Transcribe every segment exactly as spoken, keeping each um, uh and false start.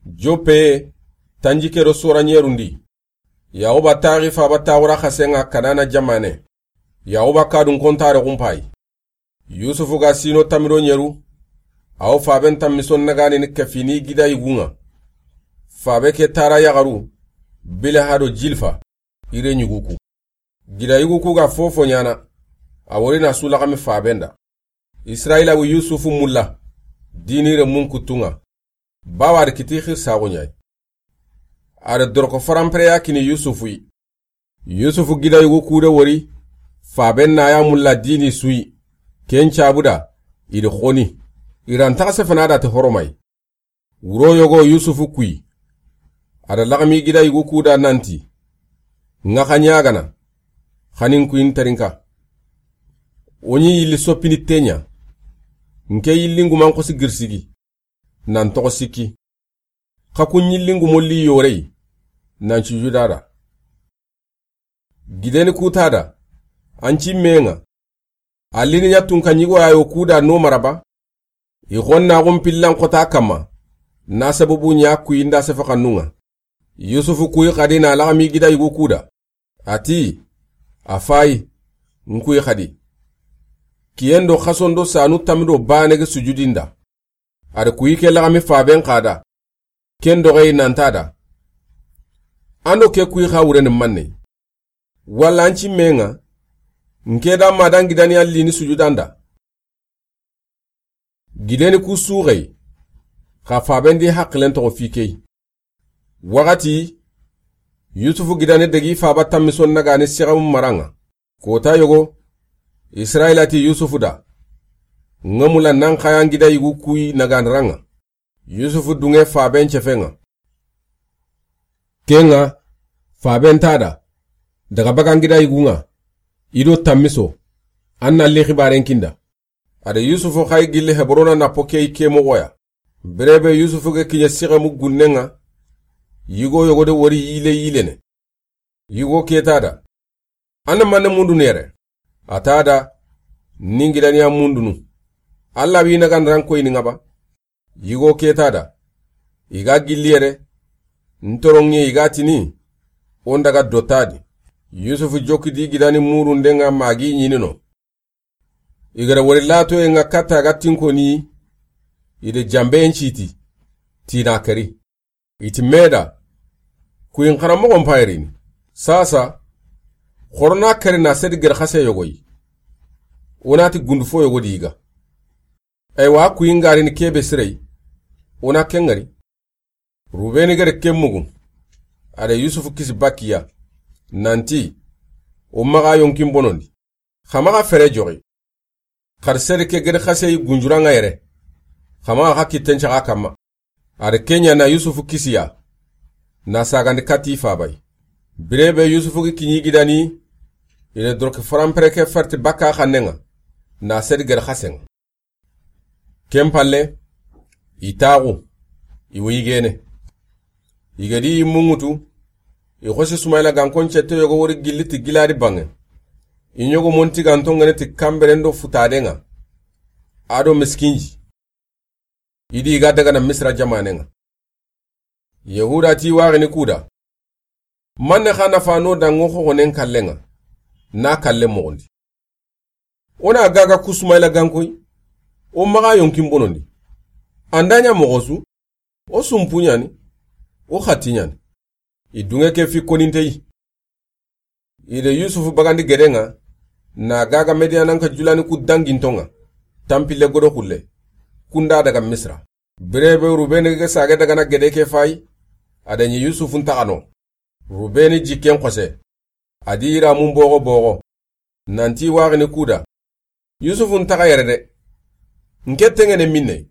Joppe, tanjikke do soranɲerundi. Yaxuba taxi faaba taxura xasenŋa Kanana jamaane. Yaxuba kadun kontare xunpayi. Yusufu ga sino tamido ɲeru, a wo faaben tanmiso naganini kefini gida yigunŋa. Faabe ke tara yaxaru, Bileha do Jilfa, i reɲugu ku. Gida yigu ku ga fofo ɲaana, a wori na su laxami faaben da. Israyila wi Yusufu mulla, dini renmun kuttunŋa. Bawa a da kiti xirsaxu ɲayi. A da doroko faranpereya kini Yusufu yi. Yusufu gida yugu kude wori, faaben na ya mulla dini su yi. Ken cabu da, i da xoni. I ra ntaxa sefana da ti horomayi. Wuro yogo Yusufu kuyi. A da laxami gida yugu kuda nanti, ŋa xa ɲagana, xanin kuyi n terinka. O ɲi yilli soppini teɲa. Nke yillinguman xosi girsigi. Nan toxo sikki. Xa ku ɲillingumo li yoreyi, nan cujuda da. Gideni kuta da, an ci menŋa. A lini ɲa tunka ɲigo ya yo kuda no maraba. I xonnaxun pillan xota kamma, na sababu ɲa kuyi nda sefa xannunŋa. Yusufu kuyi xadi na laxami gida yugu kuda. A ti, a fayi, n kuyi xadi. Kiyen do xason do sanu tamido bane ge sujudinda. A da kuyi ke laxami faaben xada. Ken doxeyi nanta da. An do ke kuyi xa wureni manne. Walla an ci menŋa, nke da ma dan gidani a lini sujudanda. Gideni ku suxeyi, xa faaben di haqilen toxo fi keyi. Waxati, Yusufu gidani degi faaba tanmison nagani sixamu maranŋa. Kota yogo, Israyila ti Yusufu da, ŋa mula nan xayan gida yugu kuyi nagani ranŋa. Yusufu dunŋe faaben cefenŋa. Kenŋa, faaben ta da, daga bagan gida yugunŋa, i do tanmiso, an na li xibaren kinda. A da Yusufu xayi gilli Hebrona na pokeyi ke moxoya. Birebe Yusufu ge kiɲe sixemu gunnenŋa, yigo yogo de wori yile yilene. Yigo ke ta da, an na manne mundunu yere? A ta da, ni n gidaniya mundunu. Alla wi nagandaran koyini ŋa ba? Yigo ke ta da, i ga gilli yere, n toronŋe i ga tini, o n daga dotadi. Yusufu jokki di gidani murundenŋa magi ɲinino. I ga da wori latoyenŋa katta ga tinkoni, i da jambeyen citi, tina keri. I ti meda, kuyin xaramoxon payirini. Sasa, xorona keri na sedi geri xase yogoyi. O na ti gundu fo yogo di yiga. Aywa, kuyin garini kebe sireyi. O na ken ŋari. Rubeni gere ken mugu. A da Yusufu kisi bakiya. Nanti, o maxa yonkin bonondi. Xa maxa fere joxi. Xari sedi ke gedi xaseyi gunjuranŋa yere. Xa maxa xa kitten caxa kamma. A da kenya na Yusufu kisiya. Na sagandi kati fabayi. Birebe Yusufu gi kiɲi gidani. I da doroki faranpere ke farti bakka xannenŋa. Na sedi gedi xasenŋa. Ken palle, i taxu, i wo yigene. I ga di i mungutu, i xosi Sumayila gankon cette yogo wori gilli ti giladi banŋe. I ɲogo monti ganto ŋene ti kamberen do futadenŋa. A do miskinji. I di i ga dagana Misira jamanenŋa. Yahuda ti waxini kuda. Manne xa nafa no danŋo xoxonen kallenŋa, na kalle moxondi. O na gaga ku Sumayila gankoyi, o maxa yonkin bonondi. An da ɲa moxo su, o sumpu ɲani, o xati ɲani. I dunŋe ke fi koninteyi. I da Yusufu bagandi gedenŋa, na gaga Mediyananka julani ku dangintonŋa, tanpille godo xulle, kunda daga Misira. Birebe Rubeni ge sage dagana gede ke fayi, a da ɲi Yusufu ntaxano. Rubeni jikken xose. A di iramun boxo boxo. Nanti waxini kuda. Yusufu ntaxa yere de. Nke tengene minne.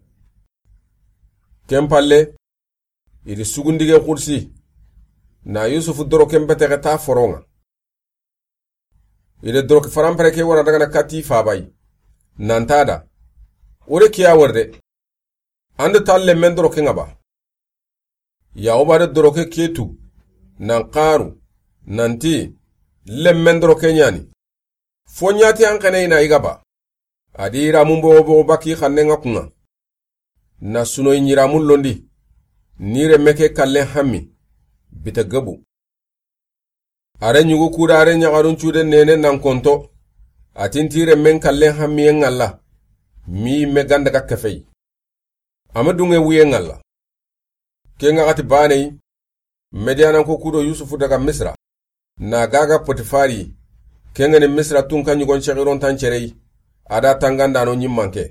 Ken palle, i di sugundige xursi. Na Yusufu doroken betexe ta foronŋa. I da doroki faranpere ke wara dagana kati fabayi. Nanta da. O de kiya wari de. An da ta lemmen doroke ŋa ba? Yaxuba da doroke ke tu, nan xaru, nanti, lemmen doroke ɲani. Fo ɲati an xene i na i ga ba? A di iramun boxo boxo baki xannenŋa kunŋa. Na sunoyi ɲiramun londi. Ni renme ke kallen hammi, bita gabu. A re ɲugu kuda a re ɲaxarun cude nene nan konto. A ti n ti renmen kallen hammiyen ŋalla, mi yimme ga n daga kefey. A ma dunŋe wuyen ŋalla. Ken ŋaxati baaney, Mediyananko kudo Yusufu daga Misira, na gaaga Potifari, ken ŋa ni Misira tunka ɲugon cexirontan cerey, a da tangandano ɲimmanke.